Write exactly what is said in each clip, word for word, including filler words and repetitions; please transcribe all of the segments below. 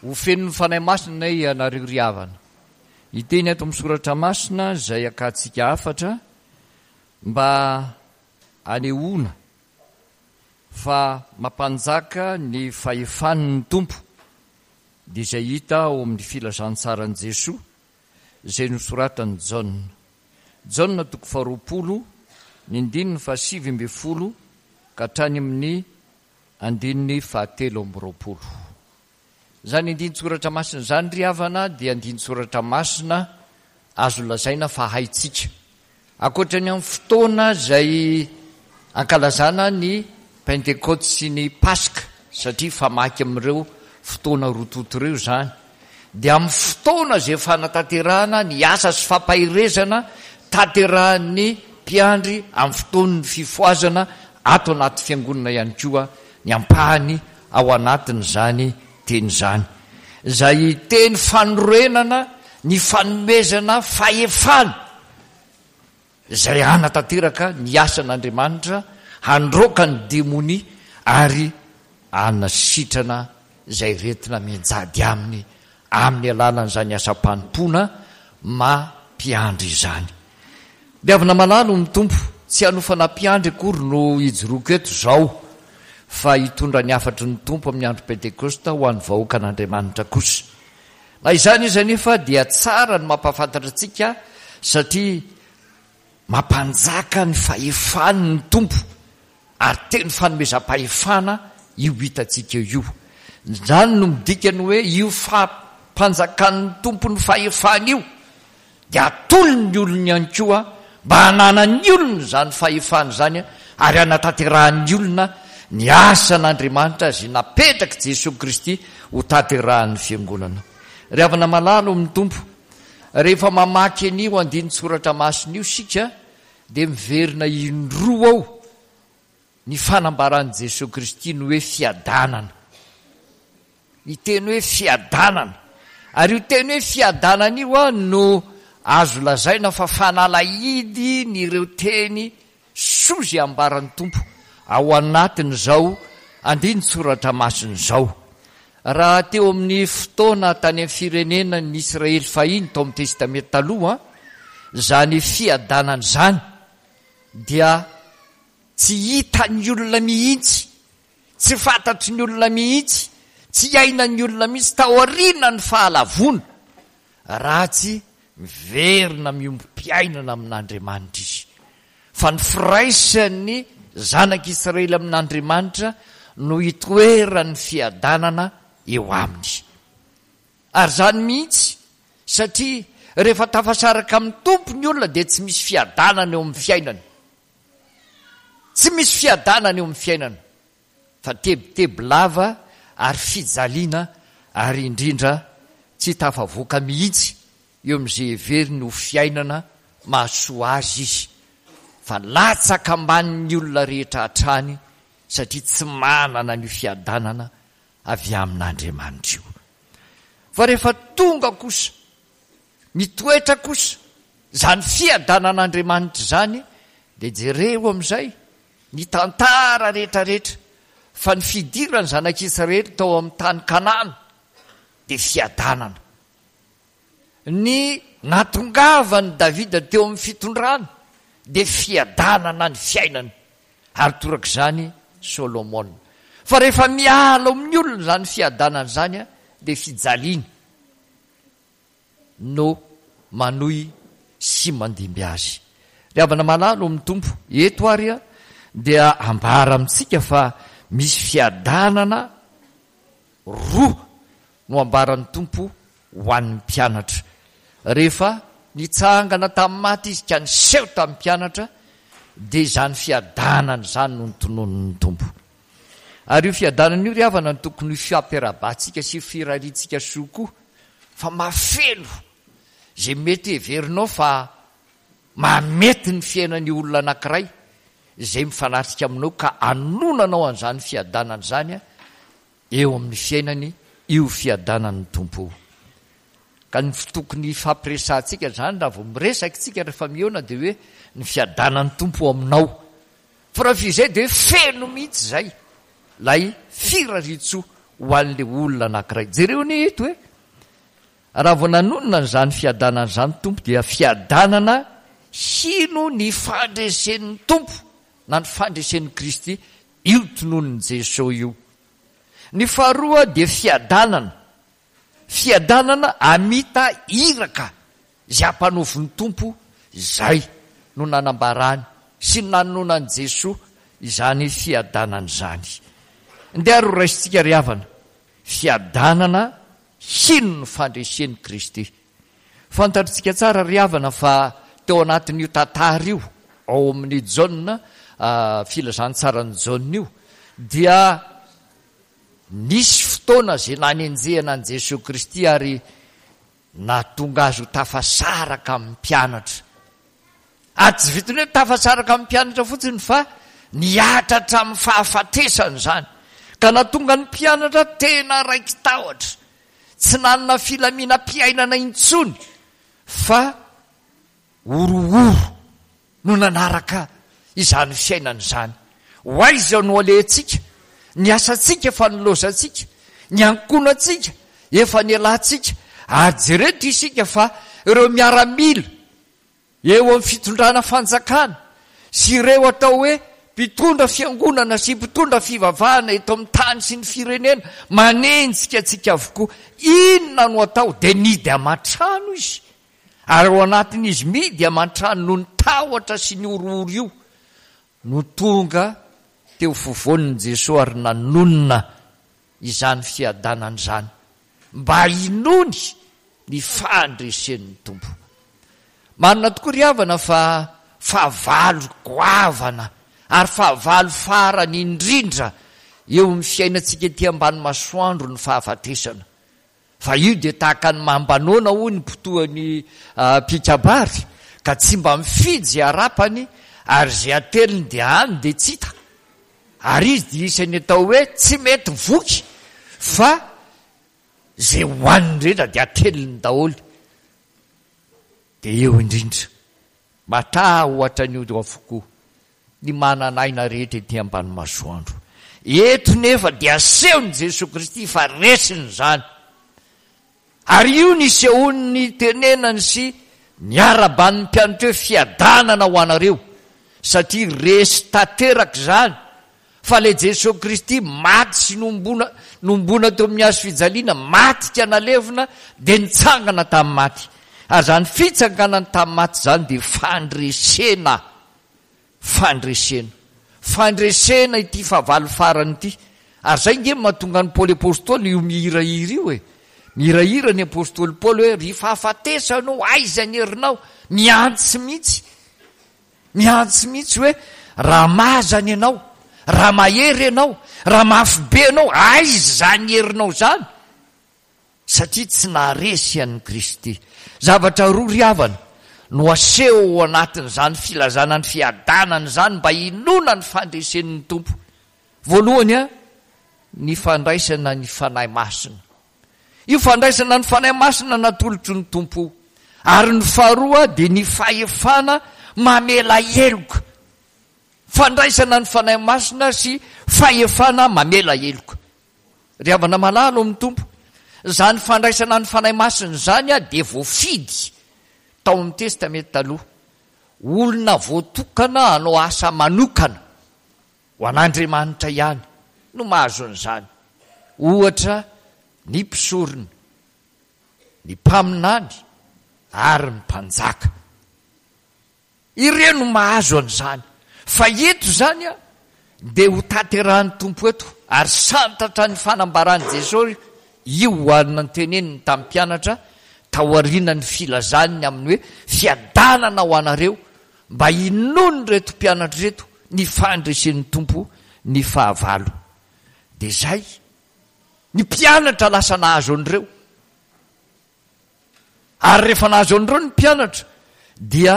Ho fenon'ny Fanahy Masina ianareo ry havana. Hiteny ato amin'ny Soratra Masina izay hakantsika hafatra mba hanehoana fa mampanjaka ny fahefany ny Tompo, dia izay hita ao amin'ny Filazantsaran'i Jesoa izay nosoratan'i Jaona. Jaona toko faharoapolo, ny andininy fahasivy ambin'ny folo ka hatrany amin'ny andininy fahatelo amby roapolo. Izany andinin-tsoratra masina izany ry havana dia andinin-tsoratra masina azo lazaina fa haintsika. Ankoatra ny amin'ny fotoana izay ankalazana ny Pentekoty sy ny Paska, satria famaky amin'ireo fotoana roa tonta ireo izany, dia amin'ny fotoana izay fanatanterahana ny asa sy fampaherezana tanterahan'ny mpiandry amin'ny fotoan'ny fifohazana ato anaty fiangonana ihany koa ny ampahany ao anatin'izany teny izany, izay teny fanorenana ny fanomezana fahefana izay hanatanteraka ny asan'Andriamanitra, handroaka ny demonia ary hanasitrana izay aretina mianjady aminy amin'ny alalan'izany asam-panompoana maha mpiandry izany. Mpihavana malalo ny Tompo, tsy hanofana mpiandry akory no hijoroako eto izao, fa hitondra ny hafatry ny Tompo amin'ny andro Pentekosta ho an'ny vahoakan'Andriamanitra kosa. Na izany izy anefa dia tsara ny mampahafantatra antsika satria mampanjaka ny fahefany ny Tompo ary teny fanomezam-pahefana io hitantsika io. Izany no midika ny hoe io fampanjakan'ny Tompo ny fahefany io dia atolony ny olony ihany koa mba hananan'ny olona izany fahefana izany ary hanatanterahan'ny olona ny asan'Andriamanitra izay napetrak'i Jesoa Kristy ho tanterahan'ny Fiangonana. Ry havana malala ao amin'ny Tompo, rehefa mamaky an'io andinin-tsoratra masina io isika dia miverina indroa ao ny fanambaran'i Jesoa Kristy ny hoe fiadanana. Ny teny hoe fiadanana. Ary io teny hoe fiadanana io no azo lazaina fa fanalahidy ny ireo teny soa izay ambaran'ny Tompo ao anatin'izao andinin-tsoratra masina izao. Raha teo amin'ny fotoana tany amin'ny firenena ny Israely fahiny tao amin'ny Testamenta Taloha, izany fiadanana izany dia tsy hitan'ny olona mihitsy, tsy fantatry ny olona mihitsy, tsy iainan'ny olona mihitsy taorian'ny fahalavoana, raha tsy miverina miombom-piainana amin'Andriamanitra izy. Fa ny firaisan'ny zanak'Israely amin'Andriamanitra no itoeran'ny fiadanana eo aminy. Ary izany mihitsy, satria rehefa tafasaraka amin'ny Tompo ny olona dia tsy misy fiadanana eo amin'ny fiainany. Tsy misy fiadanana eo amin'ny fiainana, fa tebiteby lava ary fijaliana ary indrindra tsy tafavoaka mihitsy eo amin'izay heveriny ho fiainana mahasoa azy izy, fa latsaka ambanin'ny olona rehetra hatrany satria tsy manana an'io fiadanana avy amin'Andriamanitra io. Fa rehefa tonga kosa, mitoetra kosa izany fiadanan'Andriamanitra izany, dia jereo amin'izay ny tantara rehetrarehetra fa ny fidiran'ny zanak'Israely tao amin'ny tany Kanana dia fiadanana. Ny nahatongavan'i Davida teo amin'ny fitondrana dia fiadanana ny fiainany, ary torak'izany Solomona. Fa rehefa miala ao amin'ny olona izany fiadanana izany dia fijaliana no manohy sy mandimby azy. Ry havana malala ao amin'ny Tompo, eto ary dia ambara amintsika fa misy fiadanana roa no ambaran'ny Tompo ho an'ny mpianatra. Rehefa nitsangana tamin'ny maty Izy ka niseho tamin'ny mpianatra, dia izany fiadanana izany no notononin'ny Tompo. Ary io fiadanana io ry havana no tokony ho fiampiarahabantsika sy firariantsika soa koa, fa mahafeno izay mety heverinao fa mahamety ny fiainan'io olona anankiray izay mifanatrika aminao ka anonanao an'izany fiadanana izany eo amin'ny fiainany io fiadanan'ny Tompo io. Ka ny tokony hifampiresahantsika izany raha vao miresaka isika rehefa mihaona dia hoe ny fiadanan'ny Tompo ao aminao. Fa raha vao izay dia hoe feno mihitsy izay ilay firariantsoa ho an'ilay olona anankiray. Jereo anie eto e! Raha vao nanonona an'izany fiadanana izany Tompo dia fiadanana hino ny fandresen'ny Tompo na ny fandresen'i Kristy io tononin'i Jesoa io. Ny faharoa dia fiadanana, fiadanana hamita iraka izay ampanaovin'ny Tompo, izay no nanambarany sy nanononan'i Jesoa izany fiadanana izany. Ndeha ary ho raisintsika ry havana, fiadanana hino ny fandresen'i Kristy. Fantatritsika tsara ry havana fa teo anatin'io tantara io, ao amin'ny Jaona, filazantsaran'i Jaona io, dia nisy fotoana izay nanenjehana an'i Jesoa Kristy ary nahatonga azy ho tafasaraka amin'ny mpianatra. Ary tsy vitan'ny hoe tafasaraka amin'ny mpianatra fotsiny fa nihatra hatramin'ny fahafatesana izany, ka nahatonga ny mpianatra tena raiki-tahotra, tsy nanana filaminam-piainana intsony fa horohoro no nanaraka izany fiainana izany. Ho aiza no alehantsika? Ny asantsika efa nilaozantsika, ny ankohonantsika efa nialantsika, ary jereto isika fa ireo miaramila eo amin'ny fitondrana fanjakana sy ireo atao hoe mpitondra fiangonana sy mpitondra fivavahana eto amin'ny tany sy ny firenena manenjika antsika avokoa. Inona no atao? Dia nidy aman-trano izy. Ary ao anatin'izy midy aman-trano noho ny tahotra sy ny horohoro io no tonga teo fovoan'i Jesoa ary nanonona izany fiadanana izany mba hinoany ny fandresen'ny Tompo. Marina tokoa ry havana fa fahavalo goavana ary fahavalo farany indrindra eo amin'ny fiainantsika ety ambany masoandro ny fahafatesana. Fa io dia tahaka ny mamba noana hoy ny mpitohany mpikabary ka tsy mba mifidy izay harapany ary izay ateliny dia any dia tsy hita. Ary izy dia isan'ny atao hoe tsy mety voky fa izay hohaniny rehetra dia ateliny daholo. Dia eo indrindra, matahotra an'io avokoa ny manana aina rehetra ety ambany masoandro. Eto nefa dia asehon'i Jesoa Kristy fa resiny izany. Ary io nisehoany nitenenany sy niaraban'ny mpianatra hoe fiadanana ho anareo, satria resy tanteraka izany fa ilay Jesoa Kristy maty sy nombona, nombona teo amin'ny hazo fijaliana, maty ka nalevina, dia nitsangana tamin'ny maty. Ary izany fitsanganany tamin'ny maty izany dia fandresena. Fandresena. Fandresena ity fahavalo farany ity. Ary izay nge mahatonga an'i Paoly Apostoly io mihirahira io e. Mihirahira ny Apostoly Paoly hoe, ry fahafatesana ô, aiza ny herinao? Miantso mihitsy. Miantso mihitsy hoe, raha mazana ianao, raha mahery ianao, raha mafy be ianao, aiza izany herinao izany? Satria tsy naharesy an'i Kristy. Zavatra roa ry havana no aseho ao anatin'izany filazana ny fiadanana izany mba hinoana ny fandresen'ny Tompo. Voalohany, ny fandraisana ny Fanahy Masina. Io fandraisana ny Fanahy Masina natolotry ny Tompo io. Ary ny faharoa dia ny fahefana mamela heloka. Fandraisana ny Fanahy Masina sy fahefana mamela heloka. Ry havana malala ao amin'ny Tompo, izany fandraisana ny Fanahy Masina izany dia voafidy tao amin'ny Testamenta Taloha. Olona voatokana hanao asa manokana ho an'Andriamanitra ihany no mahazo an'izany. Ohatra, ny mpisorona, ny mpaminany ary ny mpanjaka. Ireo no mahazo an'izany. Fa eto izany dia ho tanterahan'ny Tompo eto, ary santatra ny fanambaran'i Jesosy io ho an'ny nanteneniny tamin'ny mpianatra taorian'ny filazany ny amin'ny hoe fiadanana ho anareo, mba hinoan'ireto mpianatra ireto ny fandresen'ny Tompo ny fahavalo. Dia izay, ny mpianatra lasa nahazo an'ireo. Ary rehefa nahazo an'ireo ny mpianatra dia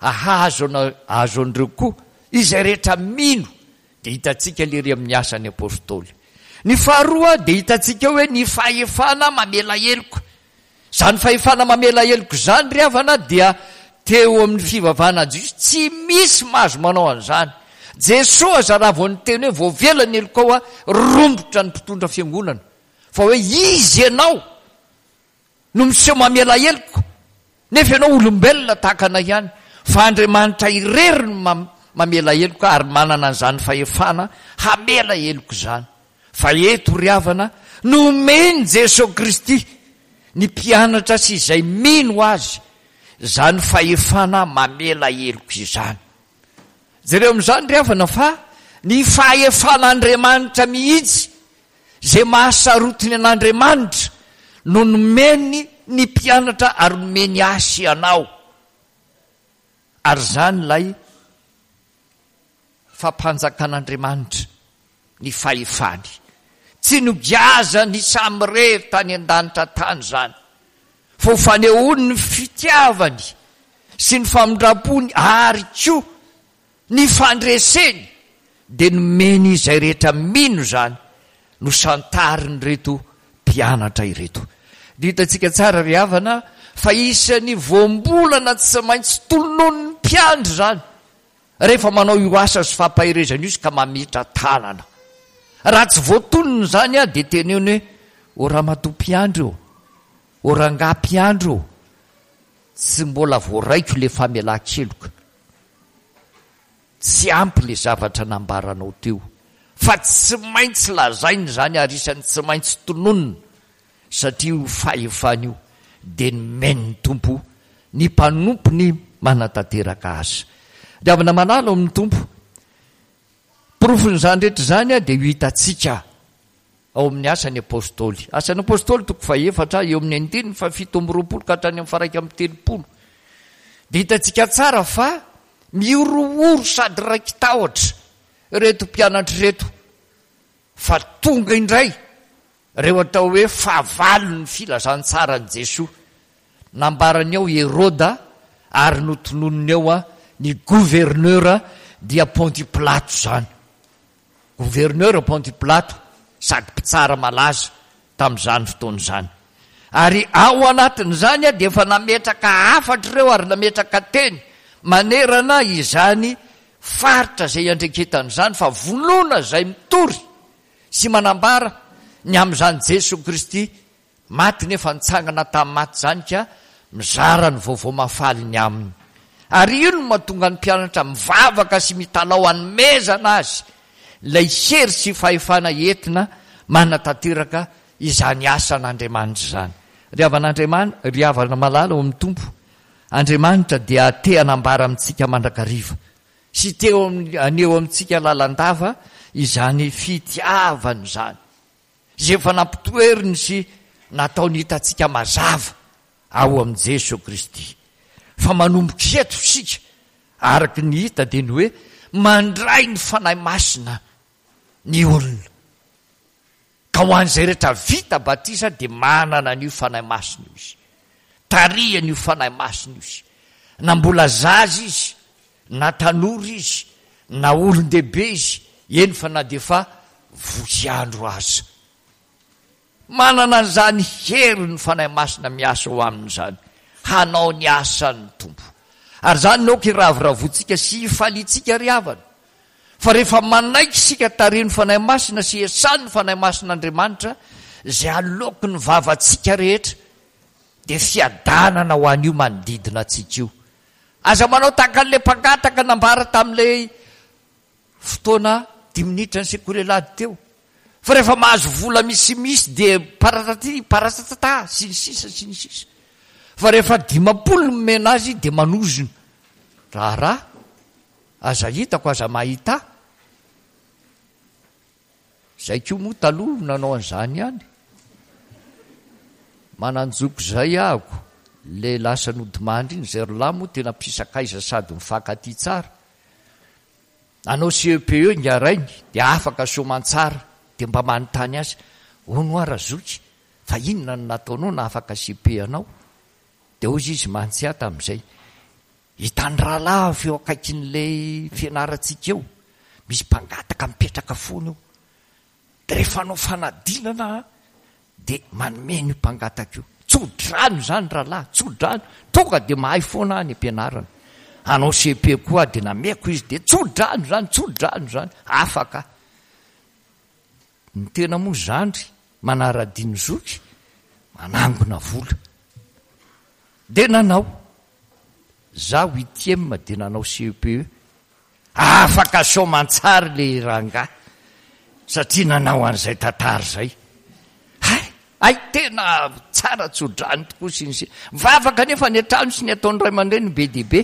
hahazo azo an'ireo koa izay rehetra mino. Dia hitantsika lery amin'ny asan'ny apostoly. Ny faharoa dia hitantsika hoe ny fahefana mamela heloka. Izany fahefana mamela heloka izany ry havana dia teo amin'ny fivavahana jiosy tsy misy mahazo manao an'izany. Jesoa aza raha vao niteny hoe voavela ny helokao aho, rombotra ny mpitondra fiangonana. Fa hoe izy ianao no miseho mamela heloka, nefa ianao olombelona tahaka anay ihany. Fa Andriamanitra irery no mamela heloka ary manana an'izany fahefana hamela heloka izany. Fa eto ry havana, nomen'i Jesoa Kristy ny mpianatra sy izay mino Azy izany fahefana mamela heloka izany. Jereo amin'izany ry havana fa ny fahefan'Andriamanitra mihitsy, izay mahasarotiny an'Andriamanitra, no nomeny ny mpianatra ary nomeny ahy sy anao. Ary izany ilay fampanjakan'Andriamanitra ny fahefany. Tsy nogiazany samirery tany an-danitra tany izany, fa ho fanehoany ny fitiavany sy ny famindram-pony ary koa ny fandreseny, dia nomeny izay rehetra mino izany, nosantarin'ireto mpianatra ireto. Dia hitantsika tsara ry havana fa isan'ny voambolana tsy maintsy tolononin'ny mpiandry izany rehefa manao io asa sy fampaherezana io izy ka mametra tanana. Raha tsy voatonona izany dia teneno hoe, O ramatoa mpiandry ô, o rangahy mpiandry ô, tsy mbola voaraiko ilay famelan-keloka. Tsy ampy ilay zavatra nambaranao teo. Fa tsy maintsy lazaina izany ary isan'ny tsy maintsy tononina satria io fahefana io dia nomen'ny Tompo ny mpanompony manatanteraka asa. Ry havana malala ao amin'ny Tompo, porofon'izany rehetra izany dia io hitantsika ao amin'ny Asan'ny Apostoly. Asan'ny Apostoly toko fahefatra, eo amin'ny andininy fahafito amby roapolo ka hatrany amin'ny faharaika amby telopolo. Dia hitantsika tsara fa mihorohoro sady raiki-tahotra ireto mpianatra ireto fa tonga indray ireo atao hoe fahavalon'ny filazantsaran'i Jesoa. Nambarany ao Heroda ary notononiny ao ny gouverneur dia Pontio Pilato izany. Gouverneur Pontio Pilato sady mpitsara malaza tamin'izany fotoana izany. Ary ao anatin'izany dia efa nametraka hafatra ireo ary nametraka teny manerana izany faritra izay iandreketana izany fa vonona izay mitory sy manambara ny amin'izany Jesoa Kristy maty nefa nitsangana tamin'ny maty izany ka mizara ny vaovao mahafaly ny aminy. Ary io no mahatonga ny mpianatra mivavaka sy mitalaho hanomezana azy ilay hery sy fahefana entina manatanteraka izany asan'Andriamanitra izany. Ry havan'Andriamanitra, ry havana malala ao amin'ny Tompo, Andriamanitra dia te hanambara amintsika mandrakariva sy te haneho amintsika lalandava izany fitiavany izany, izay efa nampitoeriny sy nataony hitantsika mazava ao amin'i Jesoa Kristy. Fa manomboka eto isika, araka ny hita dia ny hoe mandray ny Fanahy Masina ny olona. Ka ho an'izay rehetra vita batisa dia manana an'io Fanahy Masina io izy. Tarihany io Fanahy Masina io izy. Na mbola zaza izy, na tanora izy, na olon-dehibe izy, eny fa na dia efa voky andro aza. Manana an'izany hery ny Fanahy Masina miasa ao aminy izany, hanao ny asan'ny Tompo. Ary izany no aoka hiravoravoantsika sy hifaliantsika ry havana, fa rehefa manaiky isika tarihin'ny Fanahy Masina sy esan'ny Fanahy Masin'Andriamanitra izay aloaky ny vavantsika rehetra, dia fiadanana ho an'io manodidina antsika io. Aza manao tahaka an'ilay mpangataka nambara tamin'ilay fotoana dimy minitra ny sekoly alahady teo, fa rehefa mahazo vola misimisy dia paratati paratatata sy ny sisa sy ny sisa, fa rehefa dimampolo no nomena azy dia manozona raharaha, aza hitako aza mahita. Zay koa moa taloha nanao an'izany ihany. Manan-joko zay ahako, le lasa nodimandry iny, zay ry lahy moa tena mpisakaiza sady mifankatia tsara. Nanao C E P E ingahy rainy dia afaka soamantsara, dia mba manontany azy, hono hoa razoky, fa inona no nataonao nahafaka C P anao? Dia hozy izy mantsy ahy tamin'izay, hitan'ny rahalahy avy eo akaikin'ilay fianarantsika eo, misy mpangataka mipetraka foana eo. Dia rehefa hanao fanadinana aho dia manome an'io mpangataka io. Tso-drano izany rahalahy, tso-drano. Tonga dia mahay foana aho any am-pianarana. Hanao C P koa aho dia nameko izy, dia tso-drano izany, tso-drano izany. Afaka aho. Ny tena moa zandry, Manara-dia ny zoky, manangona vola. Dia nanao. Za huitième dia nanao C E P E. Afaka soamantsary le rangahy satria nanao an'izay tantara izay. Hay, ay tena tsara tsodrany tokoa sy ny sy. Mivavaka nefa ny an-trano sy ny ataon'ny ray aman-dreny be dia be,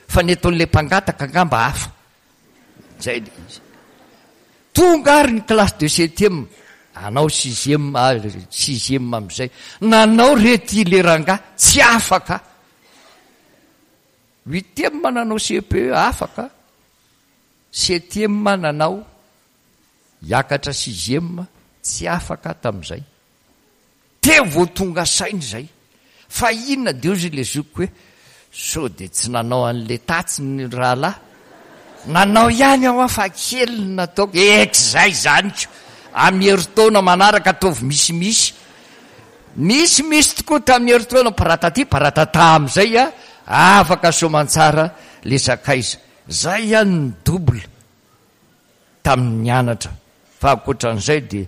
fa ny ataon'ilay mpangataka angamba hafa. Zay le izy. Tonga ary ny classe de septième, anao sixième, sixième am'izay. Nanao rety le rangahy, tsy afaka. Huitième nanao C E P E afaka. Septième nanao hiakatra sixième, tsy afaka tamin'izay. Teo vao tonga saina izay. Fa inona de ozy le zokiko hoe sao de tsy nanao an'le tatsy ny rahalahy. Nanao ihany aho fa kely ny nataoko. Eky zay zany ko. Amin'ny herintaona manaraka ataovy misimisy. Misimisy tokoa tamin'ny herintaona paratati paratata am'izay a afaka soamantsara le sakaiza. Zay ihany ny double tamin'ny nianatra. Fa ankoatran'izay de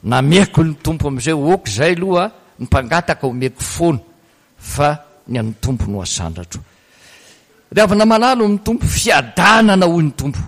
nameko ny Tompo am'izay ok zay aloha ny mpangataka omeko foana fa ny an'ny Tompo no asandratro. Ry havana malala amin'ny Tompo, fiadanana hoy ny Tompo.